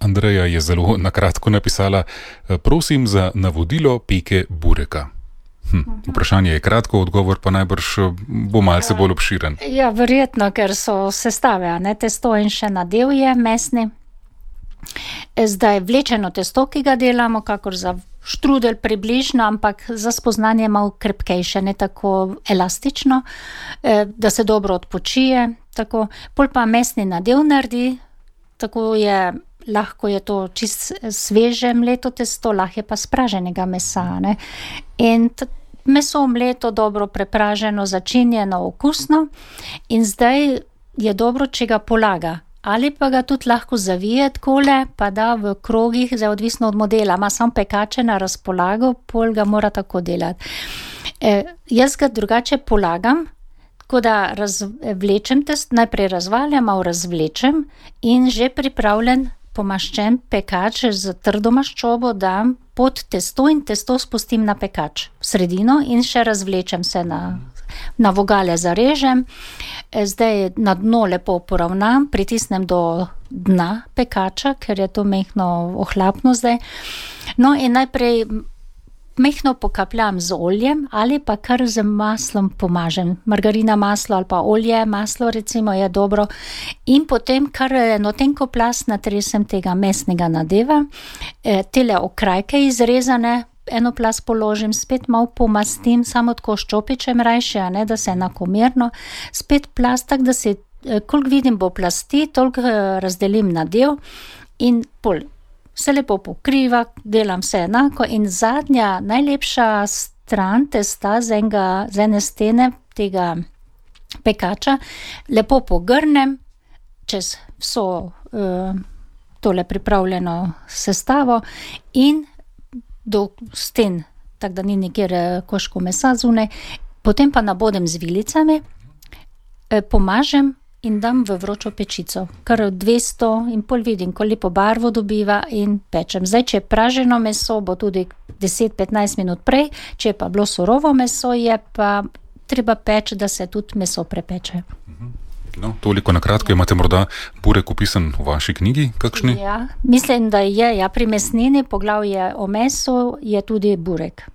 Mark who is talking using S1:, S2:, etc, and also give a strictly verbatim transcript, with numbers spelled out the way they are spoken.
S1: Andreja je zelo nakratko napisala: prosim za navodilo peke bureka. Hm, vprašanje je kratko, odgovor pa najbrž bo malce bolj obširen.
S2: Ja, verjetno, ker so sestave, ne, testo in še nadev je mesni. Zdaj vlečeno testo, ki ga delamo, kakor za štrudel približno, ampak za spoznanje malo krepkejše, ne tako elastično, da se dobro odpočije. Tako. Pol pa mesni nadev naredi, tako je, lahko je to čist sveže mleto testo, lahko je pa spraženega mesa. Ne? In t- meso mleto, dobro prepraženo, začinjeno, okusno, in zdaj je dobro, če ga polaga. Ali pa ga tudi lahko zavije takole, pa da v krogih, zdaj odvisno od modela, ima samo pekače na razpolago, pol ga mora tako delati. E, jaz ga drugače polagam, tako da razvlečem test, najprej razvaljam, malo razvlečem in že pripravljen pomaščen pekač z trdo maščobo dam pod testo in testo spustim na pekač v sredino in še razvlečem se na, na vogale zarežem. Zdaj na dno lepo poravnam, pritisnem do dna pekača, ker je to mehno ohlapno zdaj. No in najprej mehno pokapljam z oljem ali pa kar z maslom pomažem. Margarina maslo ali pa olje, maslo recimo je dobro. In potem kar eno tenko plast natresem tega mesnega nadeva, e, tele okrajke izrezane, eno plast položim, spet malo pomastim, samo tako ščopičem rajše, ne, da se enakomerno, spet plast, tak, da se, koliko vidim bo plasti, toliko razdelim nadev in pol. Se lepo pokriva, delam vse enako in zadnja, najlepša stran testa z, enega, z ene stene tega pekača lepo pogrnem čez vso uh, tole pripravljeno sestavo in do sten, tako da ni nikjer koško mesa zunaj, potem pa nabodem z vilicami, eh, pomažem in dam v vročo pečico, kar dvesto in pol vidim, ko lepo barvo dobiva in pečem. Zdaj, če je praženo meso, bo tudi deset do petnajst minut prej, če je pa bilo surovo meso, je pa treba peč, da se tudi meso prepeče.
S1: No, toliko na kratko, imate morda burek opisan v vaši knjigi, kakšni?
S2: Ja, mislim, da je, ja, pri mesnini, poglavje o mesu je tudi burek.